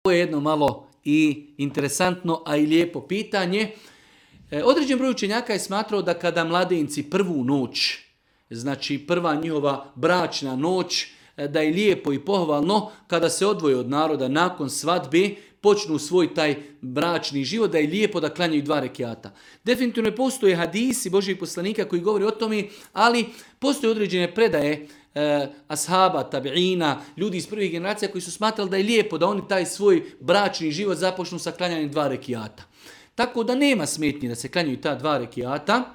Ovo je jedno malo i interesantno, a i lijepo pitanje. Određen broj učenjaka je smatrao da kada mladenci prvu noć, znači prva njihova bračna noć, da je lijepo i pohvalno kada se odvoje od naroda nakon svadbe, počnu svoj taj bračni život, da je lijepo da klanjaju 2 rekiata. Definitivno postoje hadisi Božjih poslanika koji govori o tome, ali postoje određene predaje ashaba, tabiina, ljudi iz prvih generacija koji su smatrali da je lijepo da oni taj svoj bračni život započnu sa klanjanjem 2 rekiata. Tako da nema smetnje da se klanjaju ta 2 rekiata,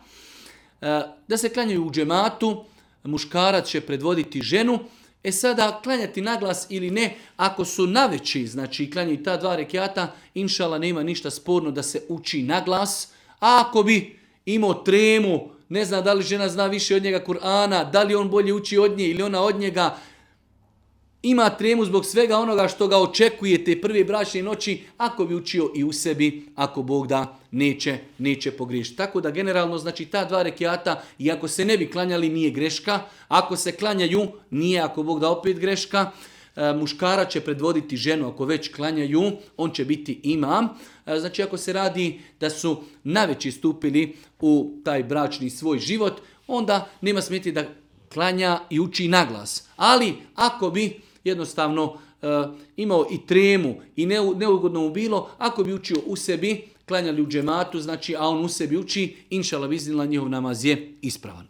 da se klanjaju u džematu, muškarac će predvoditi ženu. Sada klanjati naglas ili ne, ako su naveći, znači klanjaju ta 2 rekiata, inšala nema ništa sporno da se uči naglas, a ako bi imao tremu, ne zna da li žena zna više od njega Kur'ana, da li on bolje uči od nje ili ona od njega, ima tremu zbog svega onoga što ga očekuje te prve bračne noći, ako bi učio i u sebi, ako Bog da, neće pogriješiti. Tako da generalno, znači ta 2 rekiata, i ako se ne bi klanjali, nije greška. Ako se klanjaju, nije, ako Bog da, opet greška. Muškara će predvoditi ženu, ako već klanjaju, on će biti imam. Znači ako se radi da su naveći stupili u taj bračni svoj život, onda nema smetnje da klanja i uči naglas. Ali ako bi jednostavno imao i tremu i neugodno mu bilo, ako bi učio u sebi, klanjali u džematu, znači, a on u sebi uči, inšala biznila, njihov namaz je ispravan.